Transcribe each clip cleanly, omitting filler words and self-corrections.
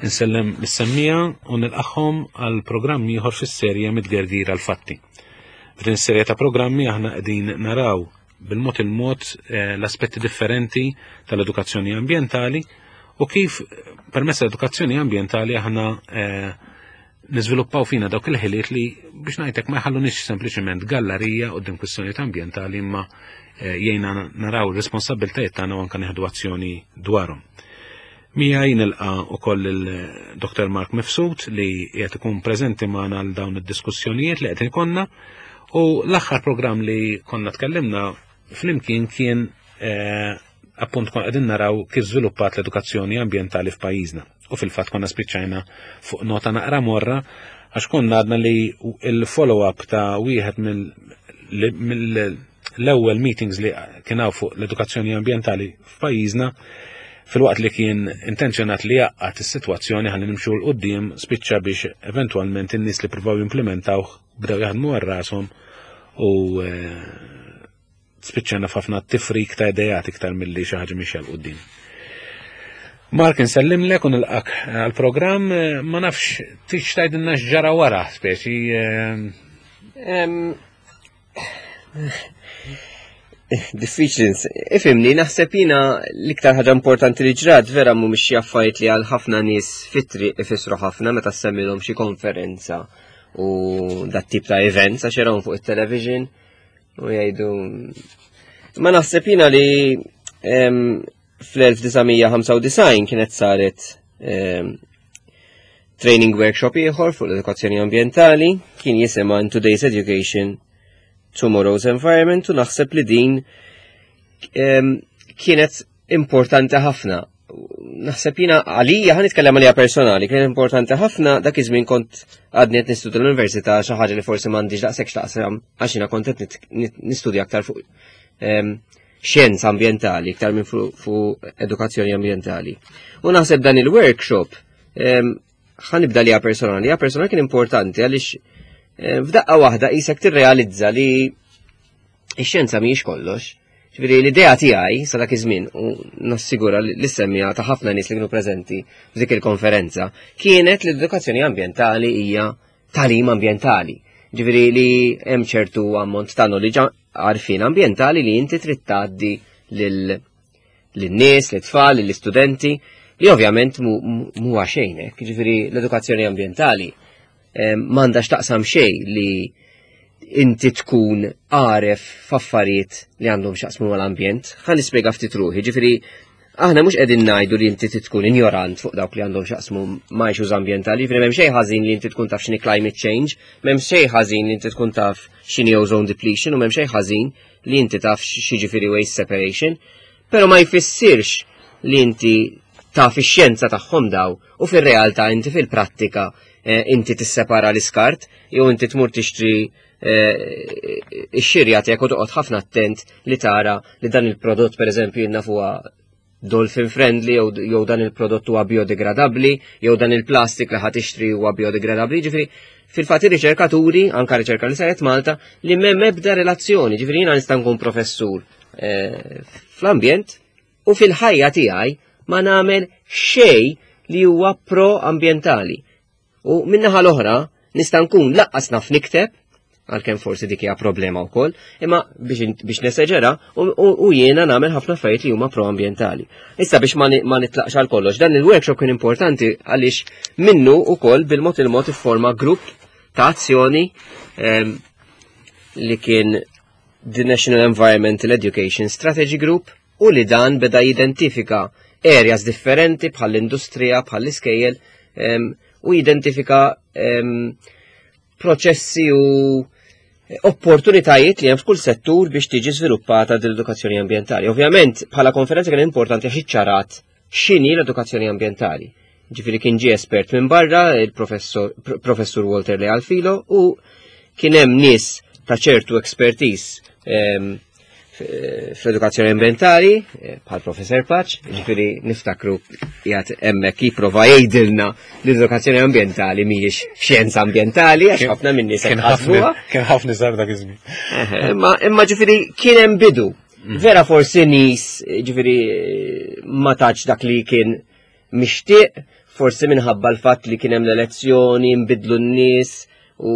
Insellem lis-semmiegħa u nilqagħhom għal programm ieħor fis-serje Mid-Gergir għall-Fatti. F'din is-serje ta' programmi aħna qegħdin naraw bil-mod il-mod eh, l-aspetti differenti tal-edukazzjoni ambjentali u kif permezz tal-edukazzjoni ambjentali aħna eh, niżviluppaw fina dawk il-ħiliet li biex ngħidlek ma jħallunix sempliċement gallarija quddiem kwistjonijiet ambjentali imma eh, jgħinna naraw ir-responsabbiltajiet tagħna u anke nieħdu azzjoni dwarhom. Miegħi nilqa' ukoll il-Dr. Mark Mifsud li qiegħed ikun preżenti magħna għal dawn id-diskussjonijiet li qed ikollna u l-aħħar programm li konna tkellimna flimkien kien eh, appunt kon qegħdin naraw kif żviluppat l-edukazzjoni ambjentali f'pajjiżna. U fil-fatt konna spiċċajna fuq nota naqra morra għax konna għadna li il-follow-up ta' wieħed mill-ewwel meetings li kien hawn fuq l-edukazzjoni ambjentali f'pajjiżna filwaqt li kien intenzjonat li jaqqat is-sitwazzjoni ħalli nimxu l qudiem spiċċa biex eventwalment in-nies li pruvaw jimplementawh bdew jaħdmu għal rashom u eh, spiċċajna f'ħafna tifrik ta' idejat iktar milli xi ħaġa mixja 'l quddiem. Mark insellimlek u nilqak għall-programm, ma nafx tix tgħidilna x'ġara wara speċi. Eh, Diffiċli, ifimni, naħseb jina l-iktar ħaġa importanti li ġrat vera mhumiex xi affarijiet li għal ħafna nies fit-triq ifissru ħafna meta semmilhom xi konferenza u dat tip ta' events għax jarawhom fuq it-television U jgħidu. Ma naħseb jiena li fl-1995 kienet saret training workshop ieħor fuq l-edukazzjoni ambjentali kien jisimha In Today's Education Tomorrow's Environment u naħseb li din kienet importanti ħafna. Naħseb jiena għalija ħan nitkellem għalija personali, kien importanti ħafna dak iż-żmien kont għadni qed nistudja l-università xi ħaġa li forsi m'għandix daqshekk x'taqsam għax jiena kont qed nistudja aktar fuq ehm, xjenza ambjentali iktar minn fuq edukazzjoni ambjentali. U naħseb dan il-workshop ehm, ħanibda li personali, għalija personali kien importanti għaliex ehm, f'daqqa waħda qisek tirrealizza li ix-xjenza mhijiex kollox. Ġifieri l-idea tiegħi sa dak iż-żmien u nassigura li semmija ta' ħafna nies li kienu preżenti f'dik il-konferenza kienet li l-edukazzjoni ambjentali hija tagħlim ambjentali. Ġifieri li hemm ċertu ammont ta' knowledge għarfien ambjentali li inti trid tgħaddi lil lin-nies, lit-tfal, lill-istudenti, li ovvjament mhuwa xejn hekk. Ġifieri l-edukazzjoni ambjentali eh, m'għandha x'taqsam xejn li inti tkun għaref f'affarijiet li għandhom x'jaqsmu mal-ambjent. Ħa nispjega ftit ruħi, ġifieri aħna mhux qegħdin ngħidu li inti tkun injorant fuq dawk li għandhom x'jaqsmu ma' issues ambjentali, ġifieri m'hemm xejn ħażin li inti tkun taf x'inhi climate change, m'hemm xejn ħażin li inti tkun taf x'inhi ozone depletion u m'hemm xejn ħażin li inti taf x'jiġifieri waste separation, però ma jfissirx li inti taf ix-xjenza tagħhom daw u fir-realtà inti fil-prattika eh, inti tissepara l-iskart jew inti tmur tixtri eh, ix-xirja tiegħek u toqgħod ħafna attent li tara li dan il-prodott pereżempju jinna fuqha dolphin friendly jew dan il-prodott huwa biodegradabbli jew dan il-plastik li ħad tixtri huwa biodegradabbli, ġifieri fil-fatt ir-riċerkaturi, anka riċerka li saret Malta, li m'hemm ebda relazzjoni, ġifieri jiena nista' nkun professur eh, fl-ambjent u fil-ħajja tiegħi ma nagħmel xejn li huwa pro-ambjentali. U min-naħa l-oħra nista' nkun laqqas naf nikteb, għalkemm forsi dik hija problema wkoll, imma biex neseġera u jiena nagħmel ħafna affarijiet li huma proambjentali. Issa biex ma nitlaqx għal kollox, dan il-workshop kien importanti għaliex minnu wkoll bil-mod il-mod ifforma grupp ta' azzjoni ehm, li kien the National Environmental Education Strategy Group u li dan beda jidentifika areas differenti bħall-industrija, bħall-iskejjel u jidentifika proċessi u opportunitajiet li hemm f'kull settur biex tiġi żviluppata l-edukazzjoni ambjentali. Ovvjament, bħala konferenza kien importanti għax iċċarat x'inhi l-edukazzjoni ambjentali. Ġifieri kien ġie espert minn barra, il-professur Walter Leal Filo, u kien hemm nies ta' ċertu expertise ehm, fl-edukazzjoni ambientali, eh, bħal professor Paċ, ġifieri niftakru jgħat hemmhekk jipprova jgħidilna l-edukazzjoni ambientali mhijiex xjenza ambientali għax ħafna minn nies Kien ħafna żgħar dak iż-żmien. Imma ġifieri kien hemm bidu. Mm. Vera forsi nis, ġifiri, ma taċ dak li kien mixtieq, Forsi minħabba l-fatt li kien hemm l-elezzjoni, nbidlu n-nies u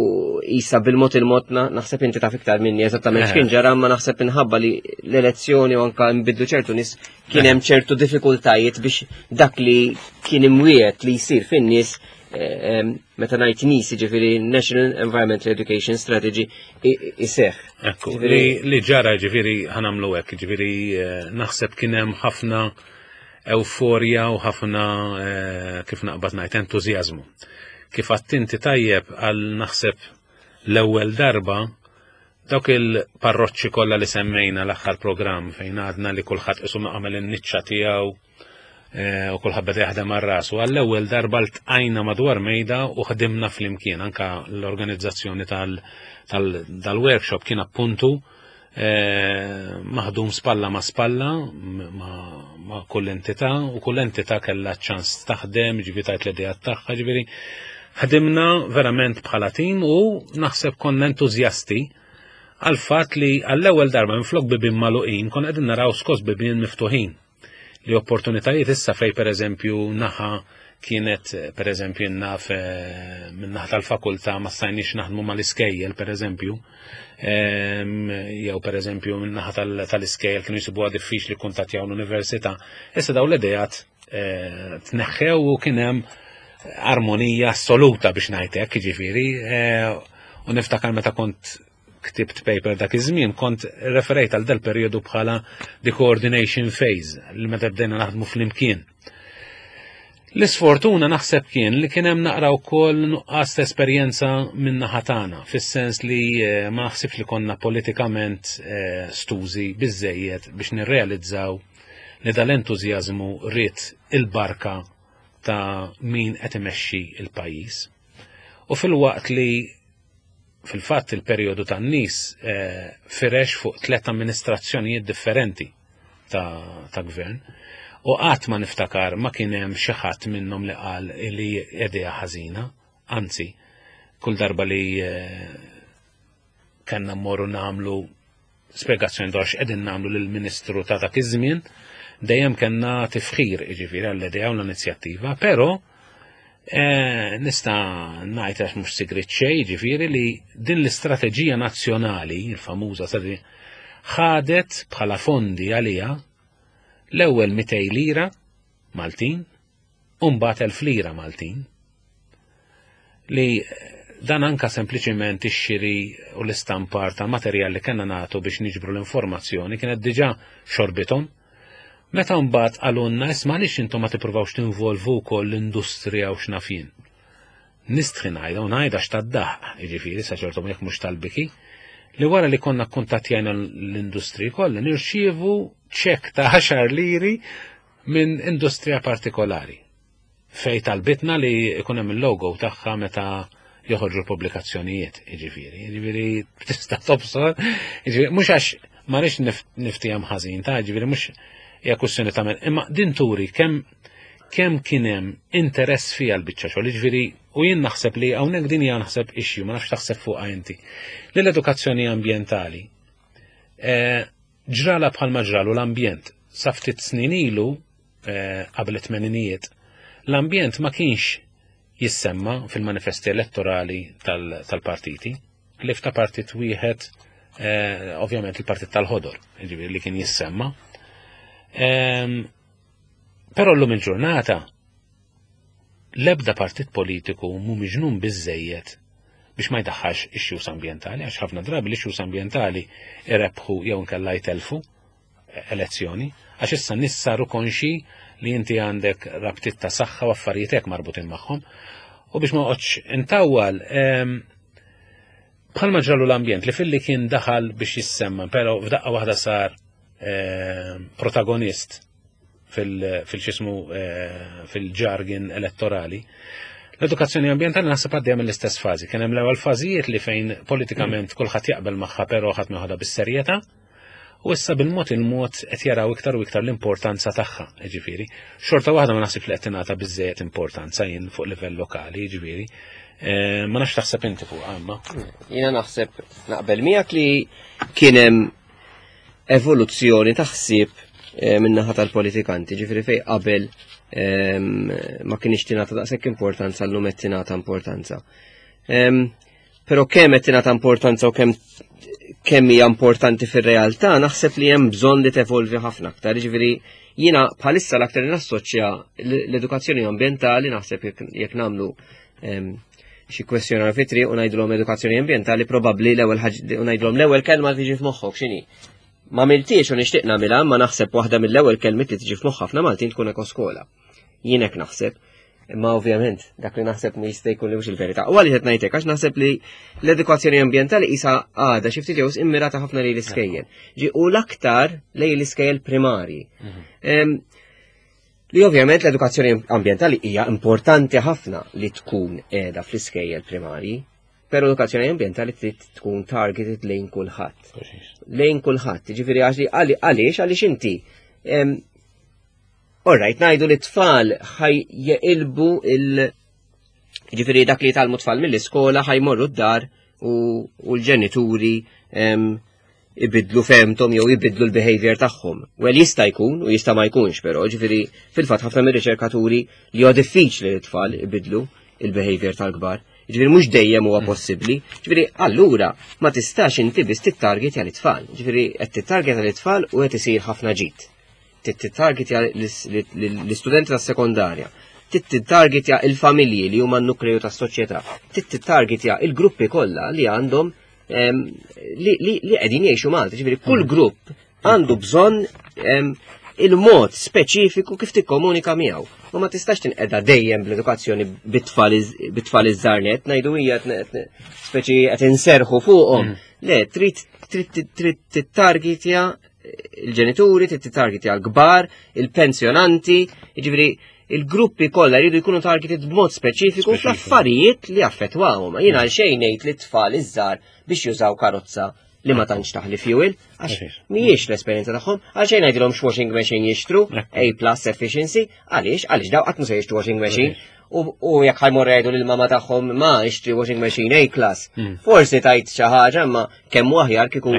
isa bil-mod il-mod naħseb inti taf iktar minni eżattament x'kien ġara, ma naħseb minħabba li l-elezzjoni u anka nbidlu ċertu nies kien hemm ċertu diffikultajiet biex dak li kien imwiet li jsir fin-nies eh, meta ngħid nies jiġifieri National Environmental Education Strategy iseħħ. Ekku, li ġara ġifieri ħanamlu hekk, ġifieri eh, naħseb kien hemm ħafna ewforja u ħafna eh, kif naqbad ngħid entużjażmu. Kif għattinti tajjeb għal naħseb l-ewwel darba dawk il-parroċċi kollha li semmejna l-aħħar programm fejn għadna li kulħadd isu għamel in-niċċa tiegħu eh, u kulħadd beda jaħdem għal rasu. Għall-ewwel darba ltqajna madwar mejda u ħdimna flimkien anka l-organizzazzjoni tal-workshop kien appuntu eh, maħdum spalla ma' spalla ma' kull entità u kull entità kellha ċans taħdem, ġifi tajt l-idea tagħha, ġifieri ħdimna verament bħala tim u naħseb konna entużjasti għal fatt li għall-ewwel darba minflok bibien magħluqin konna qegħdin naraw skos bibien miftuħin li opportunitajiet issa fej per eżempju naħa kienet per eżempju naf eh, minn naħa tal-fakultà ma stajniex naħdmu mal-iskejjel per eżempju ehm, jew per eżempju minn naħa tal-iskejjel kienu jsibuha diffiċli kuntattjaw l-università. Issa daw l-idejat eh, tneħħew u kien hemm armonija assoluta biex ngħid hekk, jiġifieri, eh, u niftakar meta kont ktibt paper dak iż-żmien kont referejt għal dal perjodu bħala the coordination phase li meta bdejna naħdmu flimkien. L-isfortuna naħseb kien li kien hemm naqra wkoll nuqqas ta' esperjenza minn naħa tagħna, fis-sens li eh, ma naħsibx li konna politikament stużi biżejjed biex nirrealizzaw li dal-entużjażmu ried il-barka ta' min qed imexxi l-pajjiż. U filwaqt li fil-fatt il-perjodu tan-nies eh, firex fuq tliet amministrazzjonijiet differenti ta', ta gvern, u qatt ma niftakar ma kien hemm xi ħadd minnhom li qal li idea ħażina, anzi, kull darba li eh, kellna mmorru nagħmlu spjegazzjoni dwar x'qegħdin nagħmlu lill-Ministru ta' dak iż-żmien, dejjem kellna tifħir jiġifieri għall-idea u l-inizjattiva, però eh, nista' ngħid għax mhux sigrit xejn, jiġifieri li din l-istrateġija nazzjonali, il-famuża ħadet bħala fondi għaliha l-ewwel 200 lira Maltin u mbagħad 1000 lira Maltin li dan anka sempliċiment ix-xiri u l-istampar ta' materjal li kellna nagħtu biex niġbru l-informazzjoni kienet diġà xorbithom. Meta mbagħad qalulna isma' għaliex intom ma tippruvawx tinvolvu wkoll l-industrija u x'naf jien. Nistħi ngħidha u ngħidha x'tad-daħq, jiġifieri sa ċertu jekk mhux tal-biki, li wara li konna kkuntattjajna l-industriji kollha nirċievu ċekk ta' 10 liri minn industrija partikolari fej talbitna li ikun hemm il-logo tagħha meta joħorġu l-pubblikazzjonijiet, jiġifieri. Jiġifieri tista' tobsor, jiġifieri mhux għax ma rridx niftihom ħażin ta' jiġifieri mhux hija kwistjoni ta' imma din turi kemm kemm kien hemm interess fiha l-biċċa xogħol, jiġifieri u jien naħseb li hawnhekk din hija naħseb issue, ma nafx taħseb fuqha inti. Li l-edukazzjoni ambjentali eh, Ġralha bħalma ġralu l-ambjent. Sa ftit snin ilu, eh, qabel it-tmeninijiet, l-ambjent ma kienx jissemma fil-manifesti elettorali tal-partiti. Ħlief ta' partit wieħed, eh, ovvjament il-partit tal-ħodor, jiġifieri li kien jissemma. Ehm, però llum il-ġurnata L-ebda partit politiku mhu miġnun biżżejjed biex ma jdaħħalx issues ambjentali, għax ħafna drabi l-issues ambjentali irebħu jew inkella jtelfu elezzjoni, għax issa n-nies saru konxi li inti għandek rabtiet ta' saħħa u affarijiet hekk marbutin magħhom. U biex ma noqgħodx intawwal, ehm, bħalma ġralu l-ambjent li filli kien daħal biex jissemma, però f'daqqa waħda sar ehm, protagonist fil-xismu eh, fil-ġargin elettorali. L-edukazzjoni ambjentali naħseb għaddejja mill-istess fażi. Kien hemm l-ewwel fażijiet li fejn politikament kulħadd jaqbel magħha però ħadd ma bis-serjetà. U issa bil-mod il-mod qed jaraw iktar u iktar l-importanza tagħha, jiġifieri. Xorta waħda ma naħsibx li qed tingħata biżejjed importanza jien fuq livell lokali, jiġifieri. Eh, ma nafx taħseb inti fuq għamma. Jiena naħseb naqbel miegħek li kien hemm evoluzzjoni ta' ħsieb eh, min-naħa tal-politikanti, ġifieri fej qabel Ma kienx tingħata daqshekk importanza llum qed tingħata importanza. Però kemm qed tingħata importanza u kemm kemm hija importanti fir-realtà, naħseb li hemm bżonn li tevolvi ħafna aktar. Jiġifieri jiena bħalissa l-aktar nassoċja l-edukazzjoni ambjentali naħseb jekk nagħmlu xi kwestjonar fitri u ngħidulhom edukazzjoni ambjentali probabbli l-ewwel u ngħidulhom l-ewwel kelma tiġi f'moħħok x'inhi. Ma miltiex u nixtieq nagħmilha, ma naħseb waħda mill-ewwel kelmiet li tiġi f'moħħ ħafna Maltin tkun ekoskola. Jien hekk naħseb. Imma ovvjament dak li naħseb ma jista' jkun li mhux il-verità. U għaliex qed ngħidlek għax naħseb li l-edukazzjoni ambjentali qisha għadha xi ftit jew immirata ħafna lejn l-iskejjel. Ġi u l-aktar lejn l-iskejjel primarji. Mhm. Li ovvjament l-edukazzjoni ambjentali hija importanti ħafna li tkun qiegħda fl-iskejjel primarji, però l-edukazzjoni ambjentali trid tkun targeted lejn kulħadd. Lejn kulħadd, jiġifieri għaliex għaliex inti Alright, ngħidu li tfal ħaj jeqilbu il- ġifieri dak li jitgħallmu tfal mill-iskola ħaj morru d-dar u l-ġenituri ibidlu femtom jew ibidlu l-behavior tagħhom. Well jista' jkun u jista' ma jkunx però, ġifieri fil-fatt ħafna mir-riċerkaturi li huwa diffiċli li tfal ibidlu il-behavior tal-kbar. Ġifieri mhux dejjem huwa possibbli. Ġifieri allura ma tistax inti biss tittargetja l-tfal. Ġifieri qed tittargetja l-tfal u qed isir ħafna ġid. Tittargetja l-istudenti tas-sekondarja. Tittargetja il-familji li huma n-nukleu tas-soċjetà. Tittargetja il-gruppi kollha li għandhom li qegħdin jgħixu Malta. Ġifieri kull mm. grupp għandu bżonn il-mod speċifiku kif tikkomunika miegħu. U ma tistax tinqeda dejjem bl-edukazzjoni bit-tfal iż-żarnet, ngħidu hija speċi qed inserħu fuqhom. Mm. Le, trid trid tittargetja il-ġenituri, trid tittargetja l-kbar, il-pensjonanti, jiġifieri il-gruppi kollha jridu jkunu targeted b'mod speċifiku fl-affarijiet li affettwawhom. Jiena għal xejn ngħid li tfal iż-żgħar biex jużaw karozza li ma tantx taħli fuel, għax mhijiex l-esperjenza tagħhom, għal xejn ngħidilhom x'washing machine jixtru, A plus efficiency, għaliex għaliex daw qatt ma se jixtru washing machine. U jekk ħajmur jgħidu lil mama tagħhom ma ixtri washing machine A class. Hmm. Forsi tajt xi ħaġa imma kemm aħjar kieku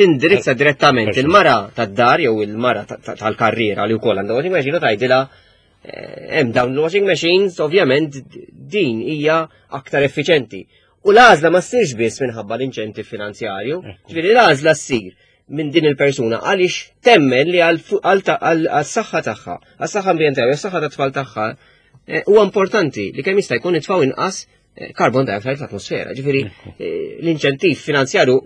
tindirizza direttament il-mara tad-dar jew il-mara tal-karriera li wkoll għandha washing machine u tgħidilha eh, hemm dawn l-washing machines ovvjament din hija aktar effiċenti. U l-għażla ma ssirx biss minħabba l-inċentiv finanzjarju, ġifieri l-għażla ssir minn din il-persuna għaliex temmen li għal-saħħa tagħha, għas-saħħa ambjentali, għas-saħħa tat-tfal tagħha, eh, huwa importanti li kemm jista' jkun itfgħu inqas eh, carbon dioxide fl-atmosfera. Ġifieri eh, l-inċentiv finanzjarju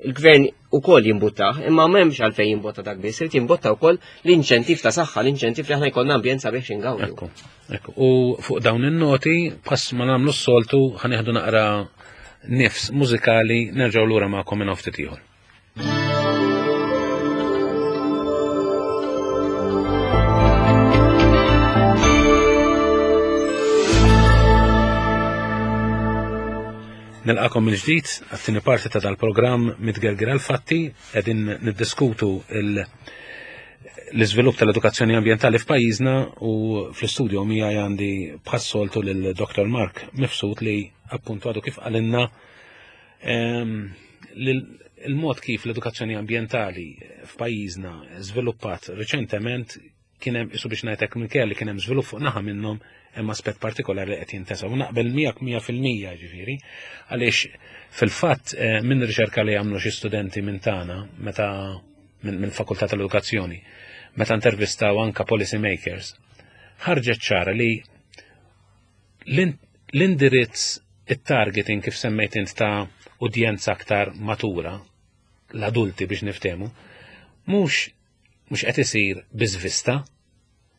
il-gvern ukoll jimbuttah, imma m'hemmx għalfejn jimbotta dak biss, irid jimbotta wkoll l-inċentiv ta' saħħa, l-inċentiv li aħna jkollna ambjent sabiħ x'ingawdu. Ekku, ekku. U fuq dawn in-noti, pass ma nagħmlu s-soltu ħanieħdu naqra nifs mużikali nerġgħu lura magħkom minn ftit ieħor. Nilqakom mill-ġdid għat-tieni parti ta' dal-programm Mitgerger għal-Fatti qegħdin niddiskutu l-iżvilupp tal-edukazzjoni ambjentali f'pajjiżna u fl-istudio miegħi għandi bħas-soltu lil Dr. Mark Mifsud li appuntu għadu kif qalilna ehm, il-mod kif l-edukazzjoni ambjentali f'pajjiżna żviluppat riċentement kien hemm isu biex ngħidlek minkejja li kien hemm żvilupp fuq naħa minnhom hemm aspett partikolari li qed jintesa. U naqbel miegħek 100% ġifieri, għaliex fil-fatt eh, minn riċerka li għamlu xi studenti minn tagħna meta minn fakultà tal-edukazzjoni, meta intervistaw anka policy makers, ħarġet ċara li L-indirizz, it-targeting kif semmejt int ta' udjenza aktar matura, l-adulti biex niftehmu, mhux mhux qed isir bi żvista,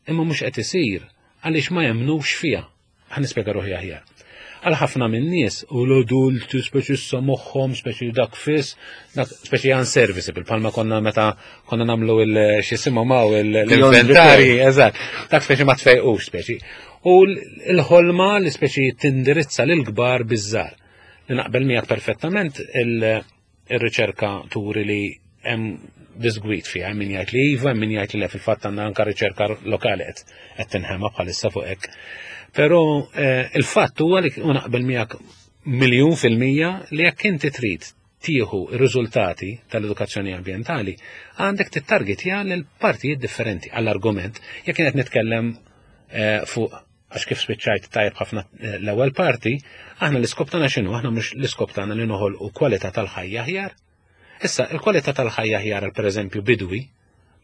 imma mhux qed isir għaliex ma jemmnux fiha. Ħa nispjega ruħi aħjar. Għal ħafna minn nies u l-adulti speċi issa moħħhom, speċi dak fis, dak speċi unserviceable, palma konna meta konna namlu il-xisimhom maw l-inventari, eżatt, dak speċi ma tfejqux speċi. U l-ħolma li speċi tindirizza lil kbar biż-żgħar. Li naqbel miegħek perfettament il-riċerka turi li hemm disgwit fiha, hemm min jgħid li iva, hemm min jgħid li le fil-fatt għandna anke riċerka lokali qed tinħema bħalissa fuq hekk. Però eh, il-fatt huwa li naqbel miegħek 1,000,000% li jekk inti trid tieħu r-riżultati tal-edukazzjoni ambjentali, għandek tittargetja lil partijiet differenti għall-argument. Jekk qed nitkellem eh, fuq għax kif spiċċajt tajjeb ħafna eh, l-ewwel parti, aħna l-iskop tagħna x'inhu? Aħna mhux l-iskop tagħna li noħolqu kwalità tal-ħajja aħjar. Issa, il-kwalità tal-ħajja aħjar għal pereżempju bidwi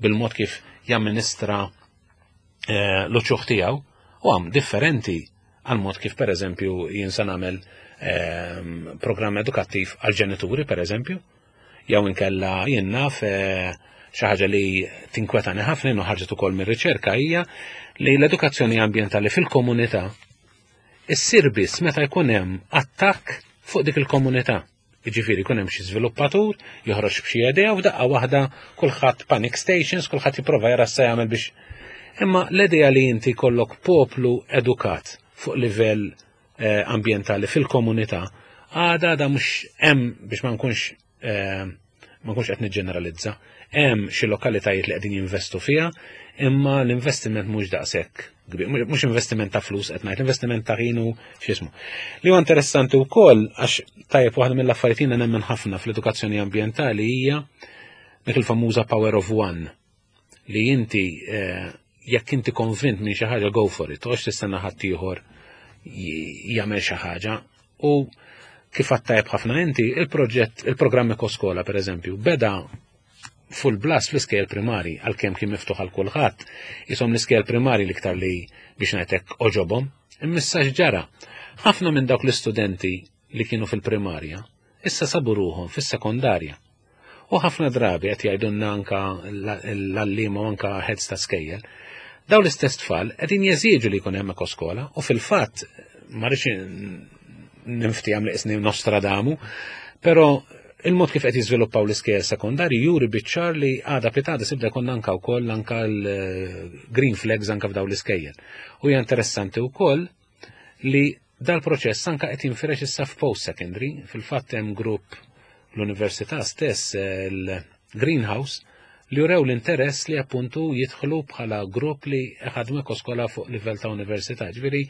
bil-mod kif jamministra eh, l-uċuħ tiegħu u għam differenti għal mod kif pereżempju jien se nagħmel ehm, programm edukattiv għal ġenituri pereżempju, jew inkella jien naf eh, xi ħaġa li tinkwetani ħafna inhu ħarġet ukoll mir-riċerka hija li l-edukazzjoni ambjentali fil-komunità issir biss meta jkun hemm attakk fuq dik il-komunità. Jiġifieri jkun hemm xi żviluppatur joħroġ b'xi idea u f'daqqa waħda kulħadd panic stations, kulħadd jipprova jara se jagħmel biex. Imma l-idea li inti jkollok poplu edukat fuq livell eh, ambjentali fil-komunità għada da mhux hemm biex ma nkunx eh, ma nkunx qed niġġeneralizza, hemm xi lokalitajiet li qegħdin jinvestu fiha, imma l-investiment mhux daqshekk kbir, mhux investiment ta' flus qed ngħid, investiment ta' ħin u x'ismu. Li huwa interessanti wkoll għax tajjeb waħda mill-affarijiet jiena nemmen ħafna fl-edukazzjoni ambjentali hija dik il-famuża power of one li inti eh, jekk inti konvint minn xi ħaġa go for it, toqgħodx tistenna ħaddieħor jagħmel xi ħaġa. U kif għattajb ħafna inti, il-proġett, il-programm Ekoskola per eżempju, beda full blast fl-iskejjel primari għalkemm kien miftuħ għal kulħadd, isom l-iskejjel primari l-iktar li biex ngħidlek oġobhom, imma ġara. Ħafna minn dawk l-istudenti li kienu fil-primarja issa sabu ruħhom fis-sekondarja. U ħafna drabi qed jgħidulna anka l-għalliema u anka heads ta' skejjel, daw l-istess tfal qegħdin jeżiġu li jkun hemm ekoskola u fil-fatt ma rridx ninftihom li qisni Nostradamu, però il-mod kif qed jiżviluppaw l-iskejjel sekondarji juri biċ-ċar li għada pitada sibda jkollna anka wkoll anka l-green flags anka f'daw l-iskejjel. U hija interessanti wkoll li dal-proċess anka qed jinfirex issa f'post secondary, fil-fatt hemm grupp l-università stess il-Greenhouse li jurew l-interess li appuntu jidħlu bħala grupp li ħadmu ekoskola fuq livell ta' università. Ġifieri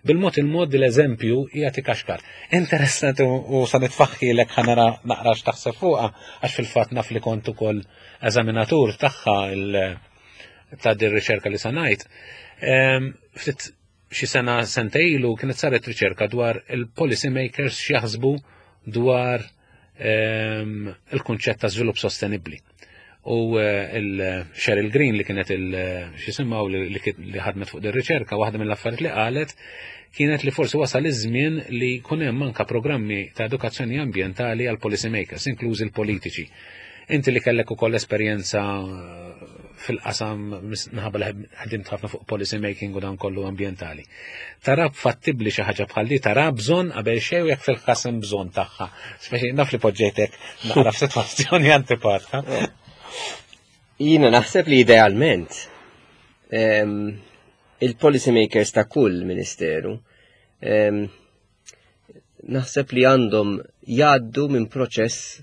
bil-mod il-mod l-eżempju qiegħed ikaxkar. Interessanti u sa nitfaħħilek ħa nara naqra x'taħseb fuqha għax fil-fatt naf li kont ukoll eżaminatur tagħha ta' din riċerka li sa ngħid. Ehm, ftit xi sena sentej ilu kienet saret riċerka dwar il-policy makers x'jaħsbu dwar ehm, il-kunċett ta' żvilupp sostenibbli. U eh, il-Cheryl Green li kienet il-xisimgħu li ħadmet fuq dir-riċerka, waħda mill-affarijiet li qalet kienet li forsi wasal iż-żmien li jkun hemm anka programmi ta' edukazzjoni ambjentali għal policy makers, inklużi l-politiċi. Inti li kellek ukoll esperjenza eh, fil-qasam minħabba li ħdimt ħafna fuq policy making u dan kollu ambjentali. Tara fattibli xi ħaġa bħal di, tara bżonn qabel xejn jekk fil-qasam bżonn tagħha. Speċi naf li poġġejtek naqra f'sitwazzjoni antipatka. Jiena naħseb li idealment ehm, il-policy makers ta' kull ministeru ehm, naħseb li għandhom jgħaddu minn proċess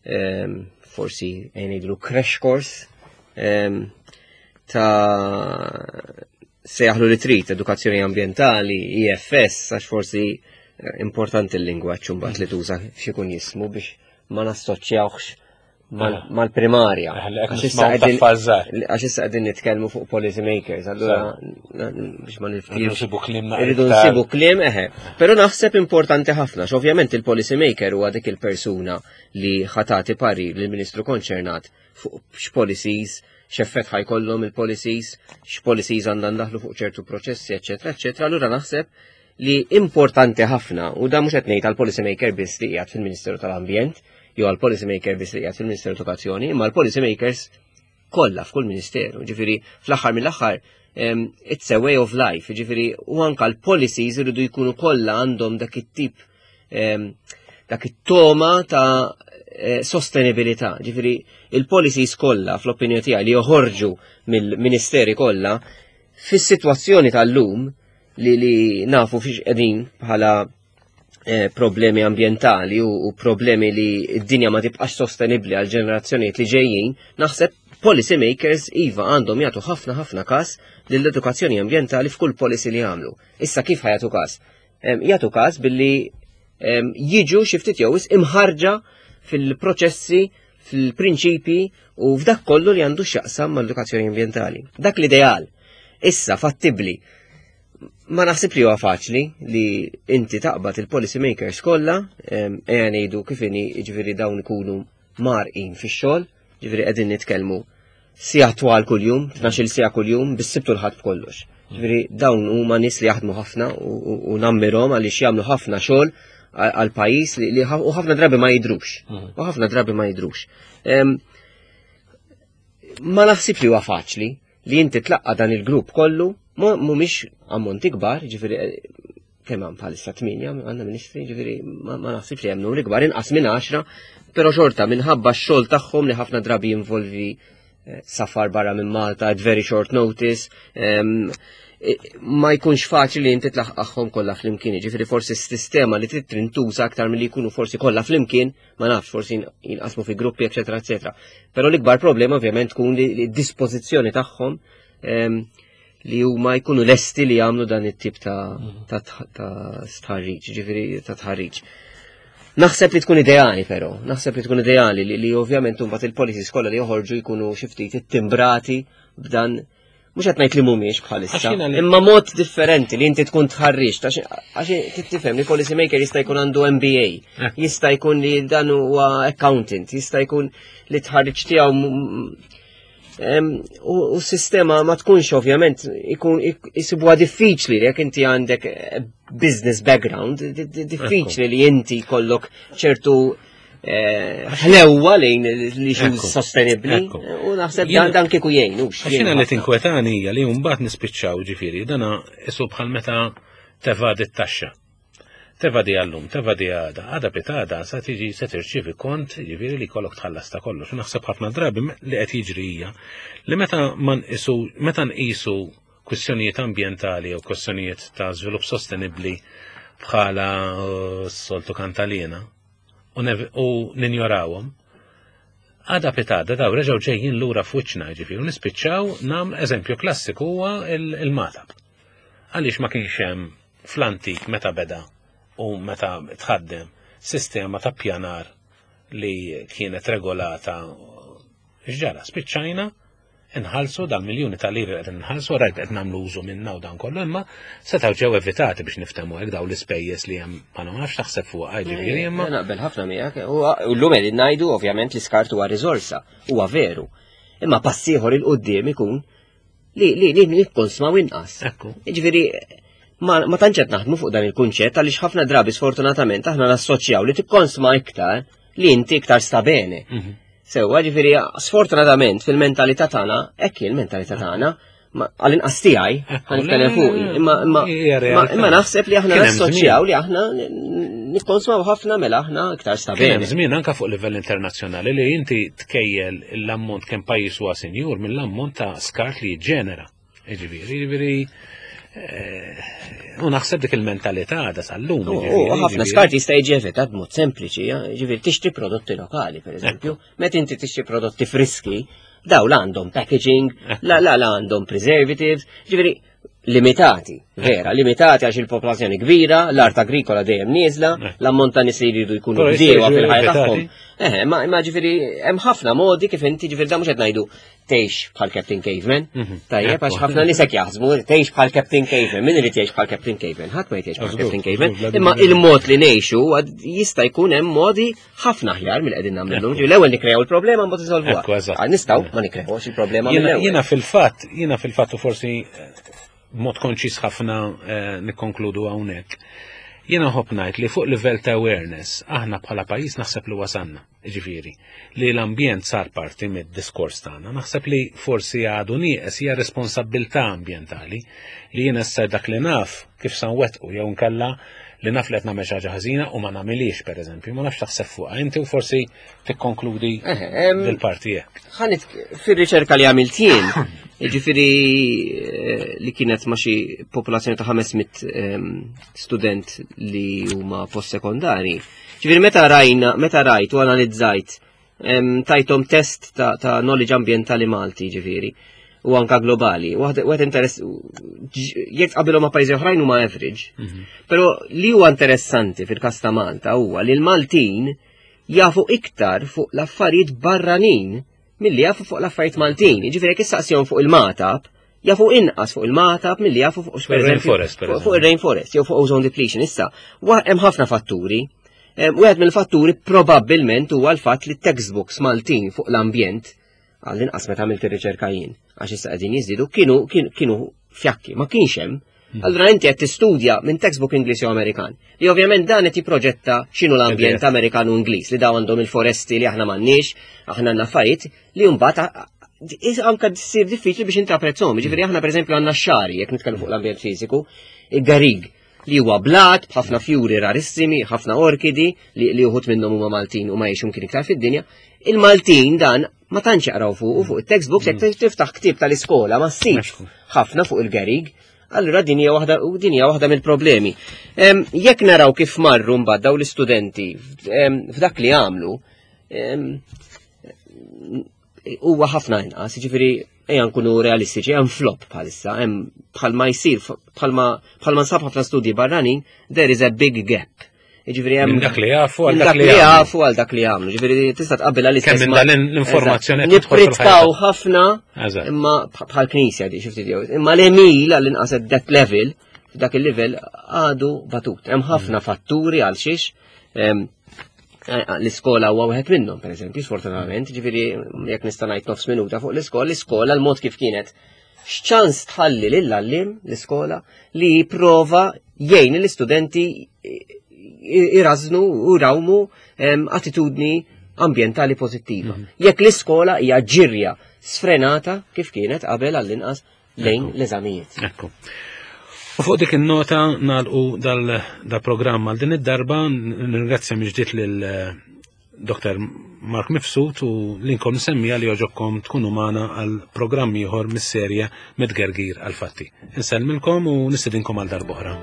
ehm, forsi ngħidlu crash course ehm, ta' sejjaħlu li trid edukazzjoni ambjentali, IFS, e għax forsi eh, importanti l-lingwaġġ mbagħad li tuża x'ikun jismu biex ma nassoċjawx Ah. mal-primarja. Għax issa qegħdin nitkellmu fuq policy makers, allura biex ma niftiex. Nsibu kliem Irridu nsibu kliem eħe. Però naħseb importanti ħafna, x'ovvjament il-policy maker huwa dik il-persuna li ħatati pari lill-ministru konċernat fuq x'policies, x'effett ħajkollhom il-policies, x'policies għandna ndaħlu fuq ċertu proċessi, eċetera, eċetera. Allura naħseb li importanti ħafna u da mhux qed ngħid għall-policy maker biss li qiegħed fil-Ministeru tal-Ambjent, jew għal policy maker biss li qiegħed fil-Ministeru Edukazzjoni, imma l-policy makers kollha f'kull ministeru. Ġifieri fl-aħħar mill-aħħar it's a way of life, ġifieri u anka l-policies iridu jkunu kollha għandhom dak it-tip dak it-toma ta' eh, sostenibilità. Ġifieri il-policies kollha fl-opinjoni tiegħi li joħorġu mill-ministeri kollha fis-sitwazzjoni tal-lum li li nafu fiex qegħdin bħala Eh, problemi ambjentali u problemi li d-dinja ma tibqax sostenibli għal ġenerazzjonijiet li ġejjin, naħseb policy makers iva għandhom jagħtu ħafna ħafna każ lill-edukazzjoni ambjentali f'kull policy li jagħmlu. Issa kif ħajatu każ? Jagħtu każ billi jiġu xi ftit jew imħarġa fil-proċessi, fil-prinċipi u f'dak kollu li għandu x'jaqsam mal-edukazzjoni ambjentali. Dak l-ideal. Issa fattibli. Ma naħsib li huwa faċli li inti taqbad il-policy makers kollha, ejja ngħidu kif inhi jiġifieri dawn ikunu marqin fix-xogħol, jiġifieri qegħdin nitkellmu siegħa twal kuljum, 12-il siegħa kuljum, bis-Sibt u l-Ħadd b'kollox. Ġifieri dawn huma nies li jaħdmu ħafna u nammirhom għaliex jagħmlu ħafna xogħol għal pajjiż li u ħafna drabi ma jidrux. U ħafna drabi ma jidrux. Ma naħsibx li huwa faċli li inti tlaqqa dan il-grupp kollu mhumiex ammonti kbar, ġifieri kemm hemm bħalissa 8 għandna ministri, ġifieri ma naħsibx li hemm numri kbar inqas minn 10, però xorta minħabba x-xogħol tagħhom li ħafna drabi jinvolvi eh, safar barra minn Malta at very short notice, ehm, eh, ma jkunx faċli li inti tlaħqaħħom kollha flimkien, ġifieri forsi s-sistema li trid tintuża aktar milli jkunu forsi kollha flimkien, ma nafx forsi jinqasmu fi gruppi, eċetera, eċetera. Però l-ikbar problema ovvjament tkun li d-dispożizzjoni tagħhom ehm, li huma jkunu lesti li jagħmlu dan it-tip ta' mhm. ta' stħarriġ, ġifieri ta' tħarriġ. Naħseb li tkun ideali però, naħseb li tkun ideali li, li ovvjament imbagħad il-policies kollha li joħorġu jkunu xi ftit ittimbrati b'dan mhux qed ngħid li mhumiex bħalissa, imma mod differenti li inti tkun tħarriġ għax tifhem li policy maker jista' jkun għandu MBA, eh. jista' jkun li dan huwa accountant, jista' jkun li tħarriġ tiegħu U s-sistema ma tkunx ovvjament ikun isibuha diffiċli jekk inti għandek eh, business background, diffiċli li inti kollok ċertu eh, ħlewwa lejn li xu sostenibli u naħseb dan dan kieku jgħin. Għaxina li tinkwetani hija li mbagħad nispiċċaw ġifieri dana isu bħal meta tevadi t-taxxa. Tevadi għallum, tevadi għada, għada pitada sa tiġi se tirċievi kont, jiġifieri li jkollok tħallas ta' kollox. U naħseb ħafna drabi li qed jiġri hija li meta ma nqisu meta nqisu kwistjonijiet ambjentali jew kwistjonijiet ta' żvilupp sostenibbli bħala uh, soltu kantalina u ninjorawhom, għada pitada daw reġgħu ġejjin lura f'wiċċna ġifieri u nispiċċaw nam eżempju klassiku huwa il-matab. Għaliex ma kienx hemm fl-antik meta beda u meta tħaddem sistema ta' pjanar li kienet regolata x'ġara spiċċajna nħallsu dal-miljuni ta' liri qed nħallsu rajt qed nagħmlu użu minna u dan kollu imma setgħu ġew evitati biex niftehmu hekk dawn l-ispejjeż li hemm ma nafx taħseb fuq ġifieri imma. Naqbel ħafna miegħek u llum qegħdin ngħidu ovvjament li skart huwa riżorsa, huwa veru. Imma pass ieħor il-qudiem ikun li li li nikkonsmaw inqas. Ekku. Jiġifieri ma, ma tantx qed naħdmu fuq dan il-kunċett għaliex ħafna drabi sfortunatament aħna nassoċjaw li tikkonsma iktar li inti iktar sta bene. Mm -hmm. Sewwa, ġifieri sfortunatament fil-mentalità tagħna, hekk hi l-mentalità tagħna, għal-inqas tiegħi ħa nitkellem fuq, imma imma imma naħseb li aħna nassoċjaw li aħna nikkonsmaw ħafna mela aħna iktar stabili. Kien żmien anke fuq livell internazzjonali li inti tkejjel l-ammont kemm pajjiż huwa sinjur mill-ammont ta' skart li jiġġenera. Jiġifieri, jiġifieri eh, u naħseb dik il-mentalità għadha sal-lum. U ħafna skart jista' jiġi evitat b'mod sempliċi, jiġifieri tixtri prodotti lokali, pereżempju. Meta inti tixtri prodotti friski, daw la għandhom packaging, la la la għandhom preservatives, ġifieri limitati, vera, limitati għax il-popolazzjoni kbira, l-art agrikola dejjem nieżla, l-ammont ta' nies li jridu jkunu bdiewa fil-ħajja tagħhom. Eh, ma imma ġifieri hemm ħafna modi kif inti ġifieri da mhux qed ngħidu tgħix bħal Captain Caveman. Mhm. Tajjeb għax ħafna nies hekk jaħsbu tgħix bħal Captain Caveman, min irid jgħix bħal Captain Caveman? Ħadd ma jgħix bħal Captain Caveman. Imma il-mod li ngħixu jista' jkun hemm modi ħafna aħjar mill qegħdin nagħmlu llum. L-ewwel nikkrew il-problema mbagħad isolvuha. Ah, nistgħu ma nikkrewx il-problema mill-ewwel. Jiena fil-fatt, jiena fil-fatt u forsi eh, mod konċis ħafna eh, nikkonkludu hawnhekk. Jiena nħobb ngħid li fuq livell ta' awareness aħna bħala pajjiż naħseb li wasanna, ġifieri, li l-ambjent sar parti mid-diskors tagħna. Naħseb li forsi għadu nieqes hija responsabbiltà ambjentali li jiena issa dak li naf kif sa nwettqu jew nkella li naf li qed nagħmel xi ħaġa ħażina u ma nagħmilhiex pereżempju, ma nafx taħseb fuqha inti u forsi tikkonkludi dil-parti hekk. Ħanit fir-riċerka li għamilt jien, jiġifieri eh, li kienet ma' xi popolazzjoni ta' 500 ehm, student li huma post-sekondari. Ġifieri meta rajna, meta rajt u analizzajt tajthom test ta', ta knowledge ambientali Malti ġifieri u anka globali. Waħed interess jekk tqabilhom ma' pajjiżi oħrajn huma average. Mhm. Però li huwa interessanti fil-każ ta' Malta huwa li l-Maltin jafu iktar fuq l-affarijiet barranin milli jafu fuq l-affarijiet Maltin. Jiġifieri jekk issaqsihom fuq il-Magħtab, jafu inqas fuq il-Magħtab milli jafu fuq rainforest, fuq il-rainforest jew fuq ozone depletion. Issa, hemm ħafna fatturi. Wieħed mill-fatturi probabbilment huwa l-fatt li textbooks Maltin fuq l-ambjent għall-inqas meta għamilt ir-riċerka jien, għax issa qegħdin jiżdiedu, kienu kienu fjakki, ma kienx hemm. Allura inti qed tistudja minn textbook Ingliż jew Amerikan. Li ovvjament dan qed jipproġetta x'inhu l-ambjent Amerikan u Ingliż li daw għandhom il-foresti li aħna m'għandniex, aħna għandna affarijiet li mbagħad anka ssir diffiċli biex intaprezzhom. Ġifieri aħna pereżempju għandna x-xari jekk nitkellmu fuq l-ambjent fiżiku, il-garig li huwa blat b'ħafna fjuri rarissimi, ħafna orkidi li, li uħut minnhom huma Maltin u ma jgħixu mkien iktar fid-dinja. Il-Maltin dan ma tantx jaqraw fuq u fuq it-textbooks jekk tiftaħ ktieb tal-iskola ma ssibx ħafna fuq il-garig. Allura din hija waħda u din hija waħda mill-problemi. Jekk naraw kif marru mbagħad daw l-istudenti f'dak li għamlu, huwa ħafna inqas, jiġifieri ejja nkunu realistiċi, hemm flop bħalissa, hemm bħalma jsir bħalma bħalma nsab ħafna studji barranin, there is a big gap. Jiġifieri hemm dak li jafu għal dak li jafu għal dak li jagħmlu. Jiġifieri tista' tqabbilha l-istess. Kemm dan l-informazzjoni qed ħafna imma bħal knisja di xi ftit jew. Imma l-emil għall-inqas at that level, f'dak il-level għadu batut. Hemm ħafna fatturi għal xiex l-iskola huwa wieħed minnhom, pereżempju, sfortunatament, ġifieri jekk nista' ngħid nofs minuta fuq l-iskola, l-iskola l-mod kif kienet. X'ċans tħalli lill-għalliem l-iskola li jipprova jgħin l-istudenti irażnu u rawmu attitudni ambjentali pożittiva. Jekk l-iskola hija ġirja sfrenata kif kienet qabel għall-inqas lejn l-eżamijiet. Ekku. U fuq dik in-nota nagħlqu dal-programm għal din id-darba nirringrazzja mill-ġdid lil eh, Dr. Mark Mifsud u linkom semmija li joġobkom tkunu magħna għal programm ieħor mis-serje Midgergir għal-fatti. Insellmilkom u nistedinkom għal darb'oħra.